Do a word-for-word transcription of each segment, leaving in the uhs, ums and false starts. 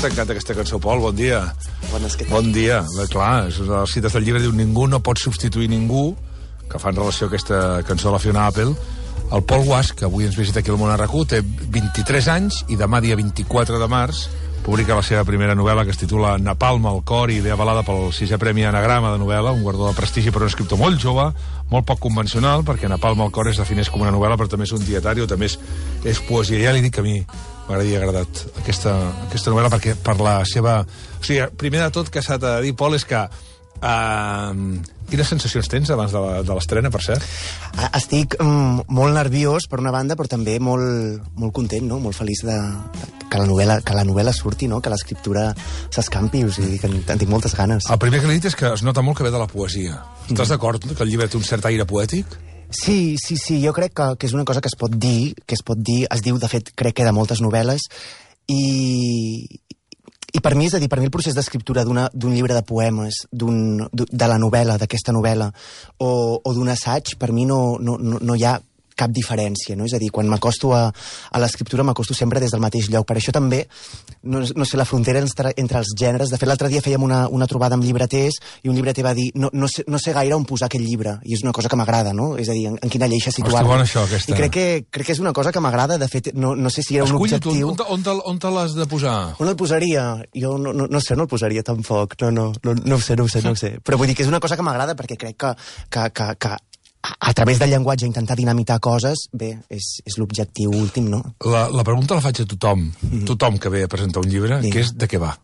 t'encanta aquesta cançó, Pol, bon dia. Bones, què tal? Bon dia. Bé, clar, és una de les cites del llibre, diu ningú no pot substituir ningú, que fa en relació a aquesta cançó de la Fiona Apple. El Pol Guasch, que avui ens visita aquí al Món R Q, té vint-i-tres anys i demà, dia vint-i-quatre de març, publica la seva primera novel·la, que es titula Napalm al cor, i ve avalada pel sisè Premi Anagrama de novel·la, un guardó de prestigi per un escriptor molt jove, molt poc convencional, perquè Napalm al cor es defineix com una novel·la, però també és un dietari, o també és, és poesia. Ja li dic que a mi m'agradaria agradat aquesta, aquesta novel·la, perquè per la seva... O sigui, primer de tot que s'ha de dir, Pol, és que... Uh, quines sensacions tens abans de l'estrena, per cert? Estic mm, molt nerviós, per una banda, però també molt, molt content, no? Molt feliç de, de, que, la novel·la, que la novel·la surti, no? Que l'escriptura s'escampi, o sigui, que en, en tinc moltes ganes. El primer que li he dit és que es nota molt que ve de la poesia. Mm. Estàs d'acord que el llibre té un cert aire poètic? Sí, sí, sí, jo crec que, que és una cosa que es pot dir, que es pot dir, es diu, de fet, crec que de moltes novel·les, i... I per mi, és a dir, per mi el procés d'escriptura d'un llibre de poemes, de la novel·la, d'aquesta novel·la, o, o d'un assaig, per mi no, no, no hi ha cap diferència, no? És a dir, quan m'acosto a, a l'escriptura m'acosto sempre des del mateix lloc. Per això també, no, no sé, la frontera entre, entre els gèneres... De fet, l'altre dia fèiem una, una trobada amb llibreters i un llibreter va dir no, no, sé, no sé gaire on posar aquest llibre, i és una cosa que m'agrada, no? És a dir, en, en quina lleixa situar-lo. Hosti, bona això, aquesta. I crec que, crec que és una cosa que m'agrada, de fet, no, no sé si era un Escull, objectiu... Tu, on, te, on te l'has de posar? On el posaria? Jo no, no, no sé, no el posaria tampoc. No, no, no, no ho sé, no ho sé, no ho sé. Però vull dir que és una cosa que m'agrada perquè crec que, que, que, que a través del llenguatge intentar dinamitar coses, bé, és, és l'objectiu últim, no? La, la pregunta la faig a tothom, mm-hmm. tothom que ve a presentar un llibre, Digue. que és de què va.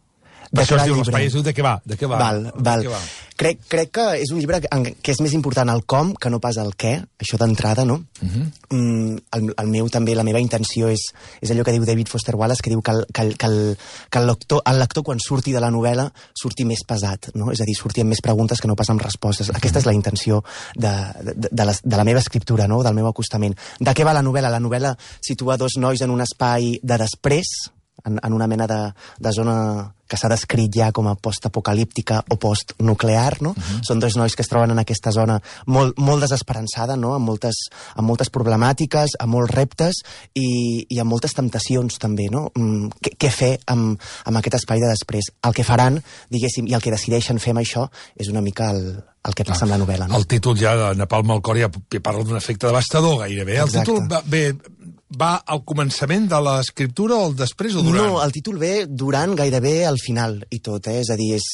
Per això es diu l'espai, es diu de què va, de què va. Val, val. Què va? Crec, crec que és un llibre que, que és més important el com que no pas el què, això d'entrada, no? Uh-huh. mm, el, el meu també, la meva intenció és, és allò que diu David Foster Wallace, que diu que, el, que, el, que, el, que el, lector, el lector quan surti de la novel·la surti més pesat, no? És a dir, surti amb més preguntes que no pas amb respostes. Uh-huh. Aquesta és la intenció de, de, de, la, de la meva escriptura, no? Del meu acostament. De què va la novel·la? La novel·la situa dos nois en un espai de després, en, en una mena de, de zona que s'ha descrit ja com a postapocalíptica o postnuclear, no? Uh-huh. Són dos nois que es troben en aquesta zona molt, molt desesperançada, no? Amb moltes, amb moltes problemàtiques, amb molts reptes i, i amb moltes temptacions també, no? Mm, què, què fer amb, amb aquest espai de després? El que faran, diguéssim, i el que decideixen fer amb això és una mica el, el que passa ah, amb la novel·la, no? El títol ja de Napalm al cor ja parla d'un efecte devastador gairebé. El Exacte. títol va, bé, va al començament de l'escriptura o al després o durant? No, el títol ve durant, gairebé al final i tot, eh? És a dir, és,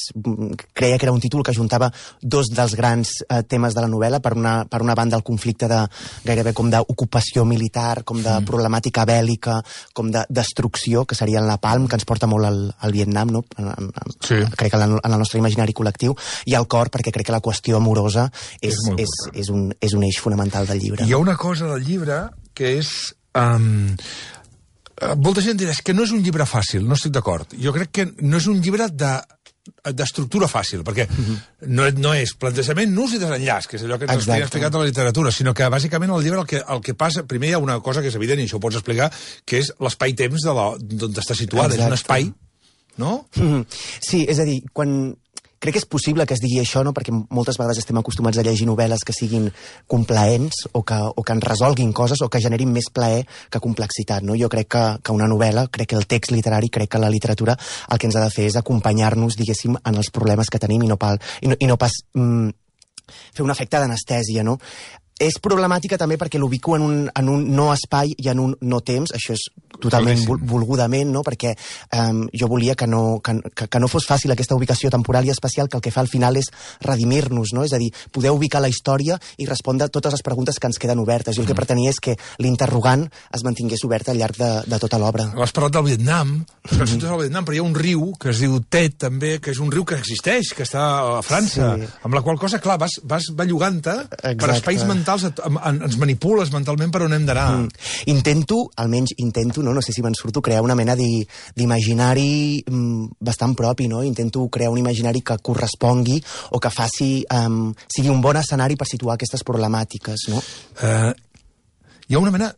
creia que era un títol que juntava dos dels grans eh, temes de la novel·la, per una, per una banda el conflicte de gairebé com d'ocupació militar, com de mm. problemàtica bèl·lica, com de destrucció, que seria el Napalm, que ens porta molt al, al Vietnam, no? En, en, sí. Crec que en el nostre imaginari col·lectiu, i el cor, perquè crec que la qüestió amorosa és, és, és, és, un, és un eix fonamental del llibre. Hi ha una cosa del llibre que és... Um, molta gent dirà que no és un llibre fàcil, no estic d'acord. Jo crec que no és un llibre de d'estructura fàcil, perquè uh-huh. no, no és plantejament, nus i desenllaç, que és allò que ens has explicat a la literatura, sinó que bàsicament el llibre el que, el que passa, primer hi ha una cosa que és evident i això ho pots explicar, que és l'espai-temps d'on està situada. Exacte. És un espai, no? Uh-huh. Sí, és a dir, quan... Crec que és possible que es digui això, no? Perquè moltes vegades estem acostumats a llegir novel·les que siguin complaents o que, o que ens resolguin coses o que generin més plaer que complexitat, no? Jo crec que, que una novel·la, crec que el text literari, crec que la literatura el que ens ha de fer és acompanyar-nos, diguéssim, en els problemes que tenim i no, pal, i no, i no pas mm, fer un efecte d'anestèsia, no? És problemàtica també perquè l'ubico en un, en un no espai i en un no temps, això és totalment vol, volgudament, no? Perquè um, jo volia que no, que, que no fos fàcil aquesta ubicació temporal i espacial, que el que fa al final és redimir-nos, no? És a dir, poder ubicar la història i respondre a totes les preguntes que ens queden obertes. Jo el que pretenia és que l'interrogant es mantingués obert al llarg de, de tota l'obra. Has parlat del Vietnam, mm-hmm. del Vietnam, però hi ha un riu que es diu Tet, també, que és un riu que existeix, que està a França, sí. Amb la qual cosa, clar, vas, vas bellugant-te per espais mentals, ens manipules mentalment per on hem d'anar. Mm. Intento, almenys intento, no, no sé si me'n surto, crear una mena d'imaginari mm, bastant propi, no? Intento crear un imaginari que correspongui o que faci, um, sigui un bon escenari per situar aquestes problemàtiques, no? Uh, hi ha una mena...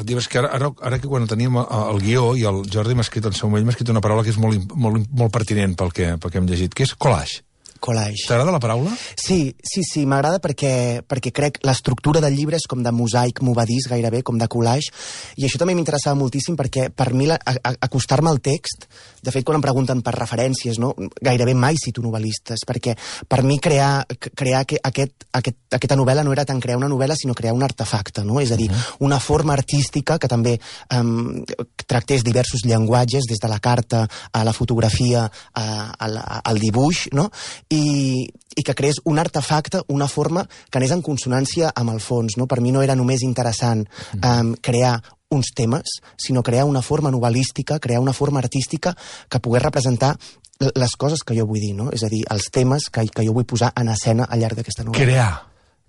Dius que ara, ara, ara que quan teníem el guió i el Jordi m'ha escrit en seu moment, m'ha escrit una paraula que és molt, molt, molt pertinent pel que, pel que hem llegit, que és collage. collage. T'agrada la paraula? Sí, sí, sí, m'agrada perquè, perquè crec l'estructura del llibre és com de mosaic movadís gairebé, com de collage, i això també m'interessava moltíssim perquè per mi la, a, a, acostar-me al text, de fet quan em pregunten per referències, no, gairebé mai cito novel·listes, perquè per mi crear, crear aquest, aquest, aquesta novel·la no era tant crear una novel·la sinó crear un artefacte, no? És a dir, una forma artística que també um, tractés diversos llenguatges, des de la carta a la fotografia a, a, a, al dibuix, no? I, i que creés un artefacte, una forma que anés en consonància amb el fons, no? Per mi no era només interessant um, crear uns temes, sinó crear una forma novel·lística, crear una forma artística que pogués representar les coses que jo vull dir, no? És a dir, els temes que, que jo vull posar en escena al llarg d'aquesta novel·la. Crear.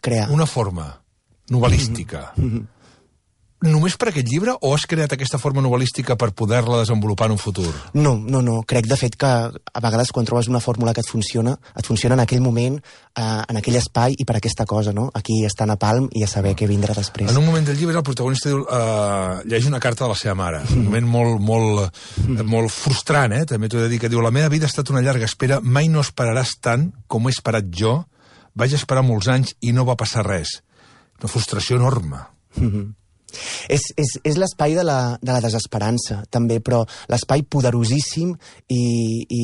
Crear. Una forma novel·lística. Mm-hmm. Només per aquest llibre o has creat aquesta forma novel·lística per poder-la desenvolupar en un futur? No, no, no. Crec, de fet, que a vegades quan trobes una fórmula que et funciona, et funciona en aquell moment, eh, en aquell espai i per aquesta cosa, no? Aquí està Napalm i a saber què vindrà després. En un moment del llibre el protagonista diu, eh, llegeix una carta de la seva mare. Un moment molt, molt, molt frustrant, eh? També t'ho he de dir, que diu: la meva vida ha estat una llarga espera, mai no esperaràs tant com he esperat jo, vaig esperar molts anys i no va passar res. Una frustració enorme. Mm-hmm. És, és, és l'espai de, la, de la desesperança, també, però l'espai poderosíssim i... i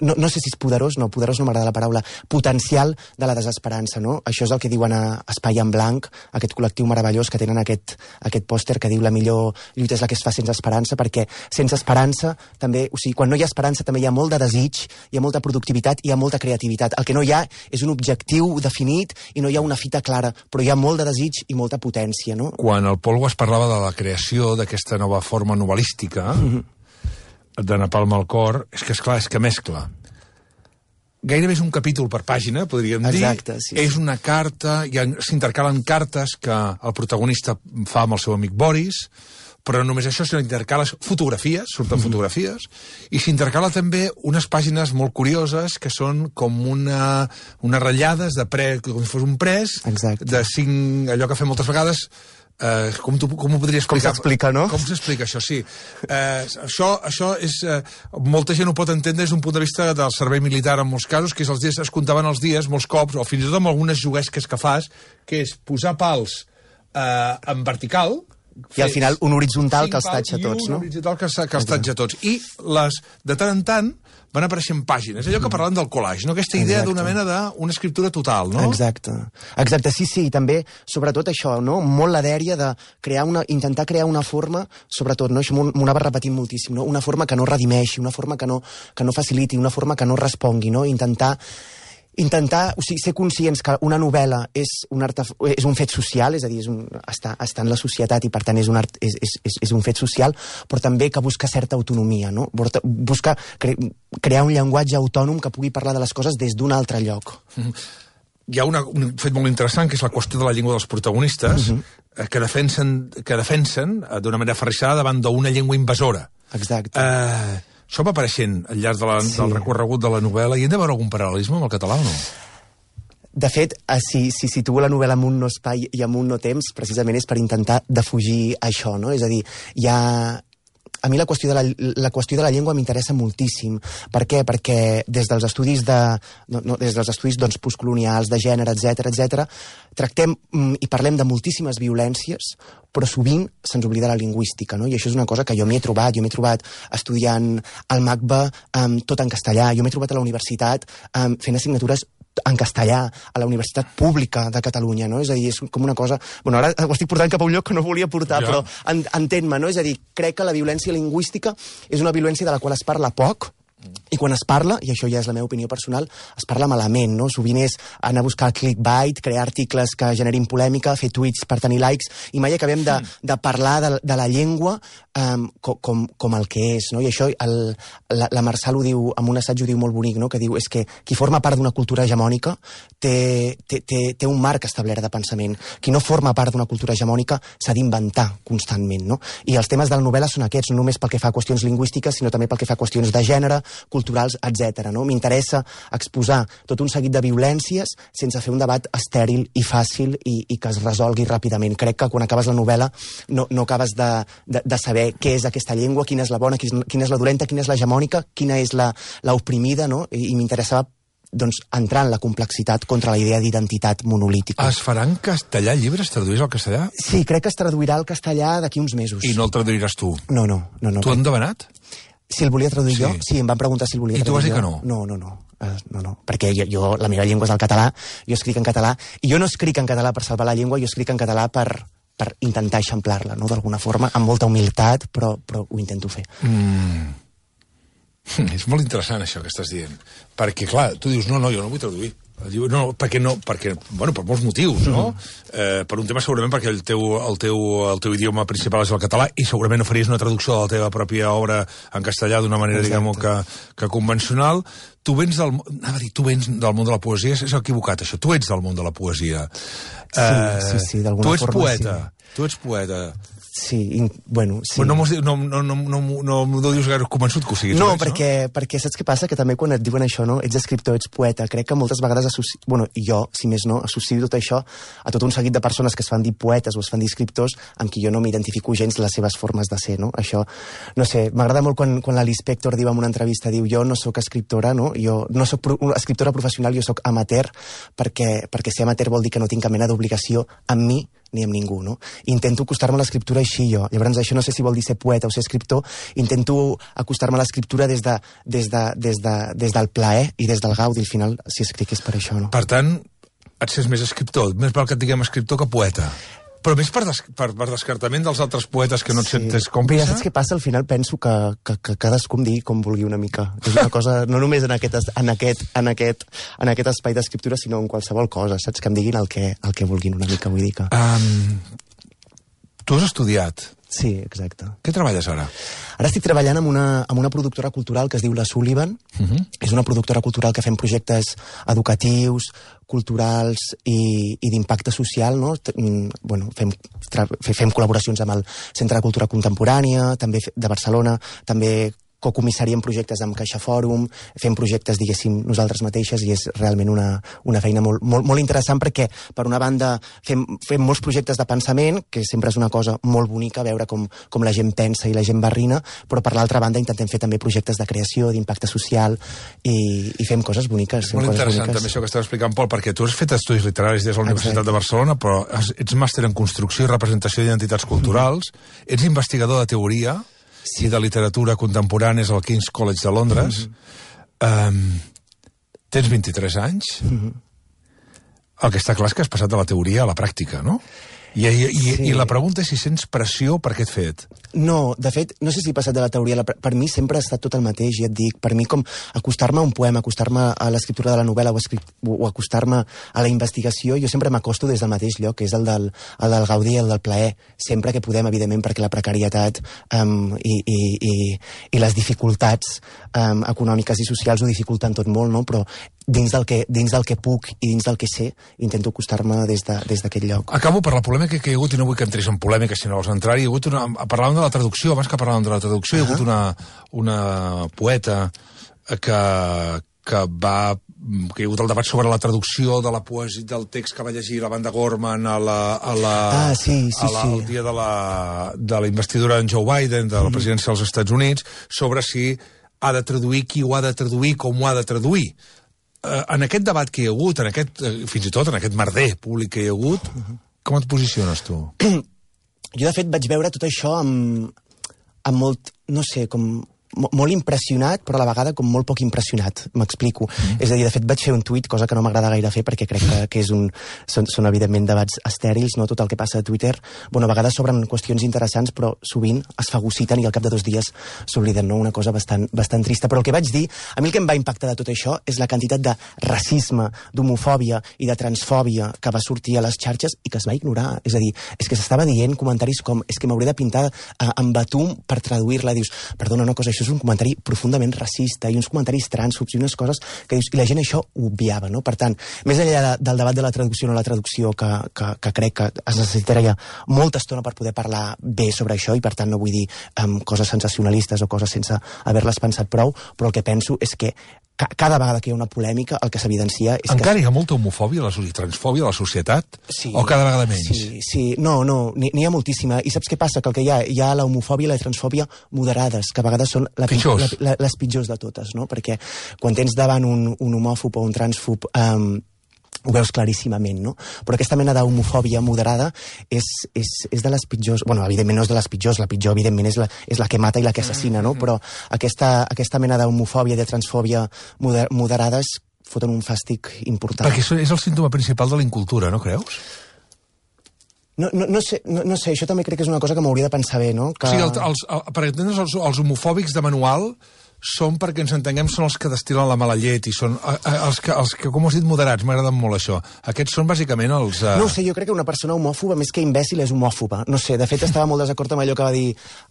no, no sé si és poderós, no, poderós no m'agrada la paraula, potencial de la desesperança, no? Això és el que diuen a Espai en Blanc, aquest col·lectiu meravellós que tenen aquest, aquest pòster que diu la millor lluita és la que es fa sense esperança, perquè sense esperança també, o sigui, quan no hi ha esperança també hi ha molt de desig, hi ha molta productivitat i hi ha molta creativitat. El que no hi ha és un objectiu definit i no hi ha una fita clara, però hi ha molt de desig i molta potència, no? Quan el Paul Guas parlava de la creació d'aquesta nova forma novel·lística mm-hmm. de Napalm al cor, és que, esclar, és que mescla. Gairebé és un capítol per pàgina, podríem dir. Exacte, sí, sí. És una carta, s'intercalen cartes que el protagonista fa amb el seu amic Boris, però no només això, sinó intercales fotografies, surten mm-hmm. fotografies, i s'intercala també unes pàgines molt curioses que són com una, unes ratllades de pre, com si fos un pres, exacte. De cinc, allò que fem moltes vegades. Uh, com, tu, com ho podria explicar? Com s'explica, no? Com s'explica això, sí. Uh, això, això és... Uh, molta gent ho pot entendre des d'un punt de vista del servei militar en molts casos, que és els dies, es comptaven els dies molts cops, o fins i tot amb algunes juguesques que fas, que és posar pals uh, en vertical... I al final un horitzontal que els tatxa tots, no? I un horitzontal que, que els tatxa tots. I les, de tant en tant van apareixent pàgines. Allò que parlant del collage, no? Aquesta idea d'una mena d'una escriptura total, no? Exacte. Exacte, sí, sí. I també, sobretot això, no? Molt la dèria de crear una, intentar crear una forma, sobretot, no? Això m'ho anava repetint moltíssim, no? Una forma que no redimeixi, una forma que no, que no faciliti, una forma que no respongui, no? Intentar intentar, o sigui, ser conscients que una novel·la és un, art, és un fet social, és a dir, és un, està, està en la societat i per tant és un, art, és, és, és un fet social, però també que busca certa autonomia, no? Busca cre, crear un llenguatge autònom que pugui parlar de les coses des d'un altre lloc. Mm-hmm. Hi ha una, un fet molt interessant, que és la qüestió de la llengua dels protagonistes, mm-hmm. que defensen, que defensen d'una manera aferrissada davant d'una llengua invasora. Exacte. Eh... Això va apareixent al llarg de la, sí. del recorregut de la novel·la, i hem de veure algun paral·lelisme amb el català o no? De fet, si, si situo la novel·la en un no espai i en un no temps, precisament és per intentar defugir això, no? És a dir, hi ha... A mi la qüestió de la, la qüestió de la llengua m'interessa moltíssim. Per què? Perquè des dels estudis de, no, no, des dels estudis doncs, postcolonials, de gènere, etcètera, etcètera, tractem mm, i parlem de moltíssimes violències, però sovint se'ns oblida la lingüística, no? I això és una cosa que jo m'hi he trobat. Jo m'he trobat estudiant al MACBA um, tot en castellà. Jo m'he trobat a la universitat um, fent assignatures en castellà, a la Universitat Pública de Catalunya, no? És a dir, és com una cosa... Bueno, ara ho estic portant cap a un lloc que no volia portar, ja. Però en, entén-me, no? És a dir, crec que la violència lingüística és una violència de la qual es parla poc, i quan es parla, i això ja és la meva opinió personal, es parla malament, no? Sovint és anar a buscar clickbait, crear articles que generin polèmica, fer tuits per tenir likes, i mai acabem de, de parlar de, de la llengua um, com, com, com el que és, no? I això el, la, la Marçal ho diu, amb un assaig ho diu molt bonic, no? Que diu, és que qui forma part d'una cultura hegemònica té, té, té, té un marc establert de pensament. Qui no forma part d'una cultura hegemònica s'ha d'inventar constantment, no? I els temes de la novel·la són aquests, no només pel que fa a qüestions lingüístiques, sinó també pel que fa a qüestions de gènere, culturals, etcètera. No? M'interessa exposar tot un seguit de violències sense fer un debat estèril i fàcil i, i que es resolgui ràpidament. Crec que quan acabes la novel·la no, no acabes de, de, de saber què és aquesta llengua, quina és la bona, quina és la dolenta, quina és l'hegemònica, quina és la, la oprimida, no? I, i m'interessava doncs, entrar en la complexitat contra la idea d'identitat monolítica. Es farà en castellà el llibre? Es traduís al castellà? Sí, crec que es traduirà al castellà d'aquí uns mesos. I no el traduiràs tu? No, no. no, no tu han demanat? Si el volia traduir sí. jo? Sí, em van preguntar si el volia I traduir jo. I tu vas dir que no? No, no, no. Uh, no, no. Perquè jo, jo, la meva llengua és el català, jo escric en català, i jo no escric en català per salvar la llengua, jo escric en català per, per intentar eixamplar-la, no?, d'alguna forma, amb molta humilitat, però, però ho intento fer. Mm. És molt interessant això que estàs dient, perquè clar, tu dius, no, no, jo no vull traduir, no, perquè no, perquè, bueno, per molts motius, no? Mm-hmm. eh, per un tema segurament perquè el teu, el, teu, el teu idioma principal és el català i segurament no faries una traducció de la teva pròpia obra en castellà d'una manera, diguem-ho, que, que convencional. Tu vens del, anava a dir, tu vens del món de la poesia, és equivocat això, tu ets del món de la poesia. Sí, eh, sí, sí, d'alguna forma. Tu ets poeta, sí. tu ets poeta. Sí, in, bueno, sí. Però no, no, no, no, no, no, no dius gaire convençut que ho siguis. No, ets, perquè, no? perquè saps què passa? Que també quan et diuen això, no? Ets escriptor, ets poeta, crec que moltes vegades associ... bueno, jo, si més no, associo tot això a tot un seguit de persones que es fan dir poetes o es fan dir escriptors amb qui jo no m'identifico gens les seves formes de ser, no? Això, no sé, m'agrada molt quan, quan la Lispector diu en una entrevista, diu, jo no sóc escriptora, no? Jo no sóc pro... escriptora professional, jo sóc amateur, perquè, perquè ser amateur vol dir que no tinc cap mena d'obligació amb mi ni amb ningú, no? Intento acostar-me a l'escriptura així jo. Llavors, això no sé si vol dir ser poeta o ser escriptor, intento acostar-me a l'escriptura des, de, des, de, des, de, des del plaer i des del gaudi, al final, si escric és per això, no? Per tant, et sents més escriptor, més val que et diguem escriptor que poeta. Però més per, des, per, per descartament dels altres poetes que no et sí. sentes còmplice? Mira, saps què passa? Al final penso que, que, que cadascú em digui com vulgui una mica. És una cosa, no només en aquest, en aquest, en aquest, en aquest espai d'escriptura, sinó en qualsevol cosa, saps? Que em diguin el que, el que vulguin una mica, vull dir que... Um, tu has estudiat. Sí, exacte. Què treballes ara? Ara estic treballant amb una, amb una productora cultural que es diu La Sullivan. Uh-huh. És una productora cultural que fem projectes educatius, culturals i, i d'impacte social, no? Bueno, fem, fem col·laboracions amb el Centre de Cultura Contemporània, també de Barcelona, també cocomissaríem projectes amb Caixa Fòrum, fem projectes, diguéssim, nosaltres mateixes, i és realment una, una feina molt, molt, molt interessant perquè, per una banda, fem, fem molts projectes de pensament, que sempre és una cosa molt bonica, veure com, com la gent pensa i la gent barrina, però per l'altra banda intentem fer també projectes de creació, d'impacte social, i, i fem coses boniques. És molt interessant boniques. També això que estàs explicant, Pol, perquè tu has fet estudis literaris des de la Universitat de Barcelona, però ets màster en construcció i representació d'identitats culturals, mm-hmm. ets investigador de teoria, sí. i de literatura contemporània al King's College de Londres. Mm-hmm. um, tens vint-i-tres anys. Mm-hmm. El que està clar és que has passat de la teoria a la pràctica, no? I, i, sí. i la pregunta és si sents pressió per aquest fet. No, de fet, no sé si he passat de la teoria. La, per mi sempre ha estat tot el mateix, ja et dic. Per mi, com acostar-me a un poema, acostar-me a l'escriptura de la novel·la o, o acostar-me a la investigació, jo sempre m'acosto des del mateix lloc, que és el del, el del gaudi i el del plaer. Sempre que podem, evidentment, perquè la precarietat um, i, i, i, i les dificultats um, econòmiques i socials ho dificulten tot molt, no? Però dins del que, dins del que puc i dins del que sé, intento acostar-me des de, des d'aquest lloc. Acabo per la polèmica que hi ha hagut, i no vull que entris en polèmica si no vols entrar, hi ha hagut una... Parlàvem de la traducció, abans que parlàvem de la traducció, uh-huh. hi ha hagut una, una poeta que, que va... que hi ha hagut el debat sobre la traducció de la poesia del text que va llegir la banda Gorman a la, a la, ah, sí, sí, a la, sí. el dia de la, de la investidura d'en Joe Biden, de la presidència dels Estats Units, sobre si ha de traduir, qui ho ha de traduir, com ho ha de traduir. Uh, en aquest debat que hi ha hagut, en aquest, uh, fins i tot en aquest merder públic que hi ha hagut, uh-huh. com et posiciones tu? Jo, de fet, vaig veure tot això amb, amb molt, no sé, com molt impressionat, però a la vegada com molt poc impressionat, m'explico. Mm. És a dir, de fet, vaig fer un tuit, cosa que no m'agrada gaire fer, perquè crec que, que és un, són, són evidentment debats estèrils, no tot el que passa a Twitter. Bueno, a vegades s'obren qüestions interessants, però sovint es fagociten i al cap de dos dies s'obliden, no? Una cosa bastant, bastant trista. Però el que vaig dir, a mi el que em va impactar de tot això és la quantitat de racisme, d'homofòbia i de transfòbia que va sortir a les xarxes i que es va ignorar. És a dir, és que s'estava dient comentaris com és que m'hauré de pintar eh, amb batum per traduir-la. Dius, perdona, una cosa, això és un comentari profundament racista i uns comentaris trànsfobs i unes coses que dius, i la gent això ho obviava, no? Per tant, més enllà de, del debat de la traducció o no la traducció, que, que, que crec que es necessitaria molta estona per poder parlar bé sobre això, i per tant no vull dir um, coses sensacionalistes o coses sense haver-les pensat prou, però el que penso és que ca cada vegada que hi ha una polèmica, el que s'evidencia és Encara que... hi ha molta homofòbia a la, i transfòbia a la societat? Sí, o cada vegada menys? Sí, sí. No, no, n'hi ha moltíssima. I saps què passa? Que el que hi ha, hi ha la homofòbia i la transfòbia moderades, que a vegades són la, pitjors. La, la, les pitjors de totes, no? Perquè quan tens davant un, un homòfob o un transfob... Um, ho veus claríssimament, no? Però aquesta mena d'homofòbia moderada és, és, és de les pitjors... Bueno, evidentment no és de les pitjors, la pitjor, evidentment, és la, és la que mata i la que assassina, no? Però aquesta, aquesta mena d'homofòbia i de transfòbia moder, moderades foten un fàstic important. Perquè això és el símptoma principal de la incultura, no creus? No, no, no, sé, no, no sé, això també crec que és una cosa que m'hauria de pensar bé, no? Que... O sigui, el, els, el, per entendre's, els, els homofòbics de manual són, perquè ens entenguem, són els que destil·len la mala llet i són a, a, els, que, els que, com has dit, moderats, m'agraden molt això. Aquests són bàsicament els... Uh... No sé, jo crec que una persona homòfoba, més que imbècil, és homòfoba. No sé, de fet estava molt desacord amb allò que va dir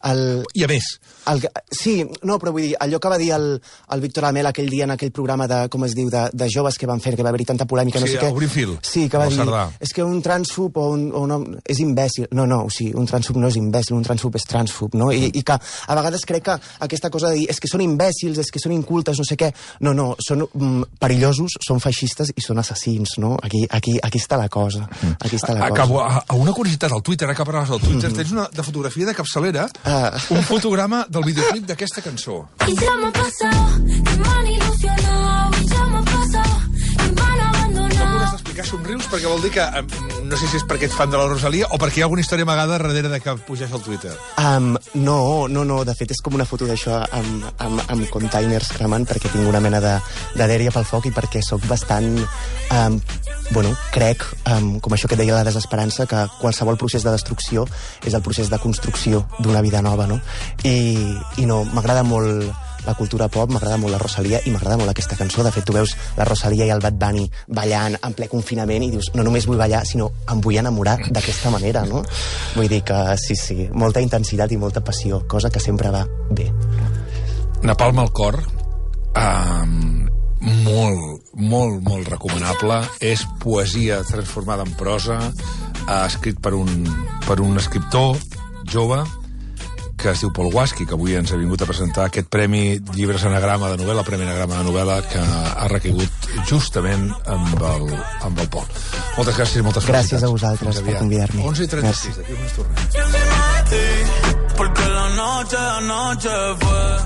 el... I a més. El... Sí, no, però vull dir, allò que va dir el, el Víctor Lamel aquell dia en aquell programa de, com es diu, de, de joves que van fer, que va haver-hi tanta polèmica, no sí, sé què. Sí, Obrim Fil. Sí, que va dir, Cerdà. És que un transfob o un, o un home és imbècil. No, no, o sigui, un transfob no és imbècil, un transfob és transfob, no? I, i que a vegades crec que aquesta cosa de dir és que són imbècils, és que són incultes, no sé què. No, no, són mm, perillosos, són feixistes i són assassins, no? Aquí, aquí, aquí està la cosa. Aquí està la Acabo, cosa. A, a una curiositat, al Twitter, ara que parlaves del Twitter, mm -hmm. tens una de fotografia de capçalera, ah. un fotograma del videoclip d'aquesta cançó. Y ya me ha pasado, que me han ilusionado, y ya me ha pasado, que me han abandonado. Has d'explicar somrius perquè vol dir que, no sé si és perquè ets fan de la Rosalia o perquè hi ha alguna història amagada darrere de que pugés al Twitter. Um, no, no, no, de fet és com una foto d'això amb, amb, amb containers cremant perquè tinc una mena de, de dèria pel foc i perquè sóc bastant, um, bueno, crec, um, com això que deia la desesperança, que qualsevol procés de destrucció és el procés de construcció d'una vida nova, no? I, i no, m'agrada molt la cultura pop, m'agrada molt la Rosalia i m'agrada molt aquesta cançó. De fet, tu veus la Rosalia i el Bad Bunny ballant en ple confinament i dius, no només vull ballar, sinó em vull enamorar d'aquesta manera, no? Vull dir que sí, sí, molta intensitat i molta passió, cosa que sempre va bé. Napalm al cor, um, molt, molt, molt recomanable. És poesia transformada en prosa, uh, escrit per un, per un escriptor jove, que es diu Pol Guasqui, que avui ens ha vingut a presentar aquest Premi Llibres Anagrama de novel·la, Premi Anagrama de novel·la, que ha recaigut justament amb el, amb el Pol. Moltes gràcies i moltes felicitats. Gràcies a vosaltres per convidar-me. onze i trenta-sis, d'aquí uns tornem. Porque la noche, la noche fue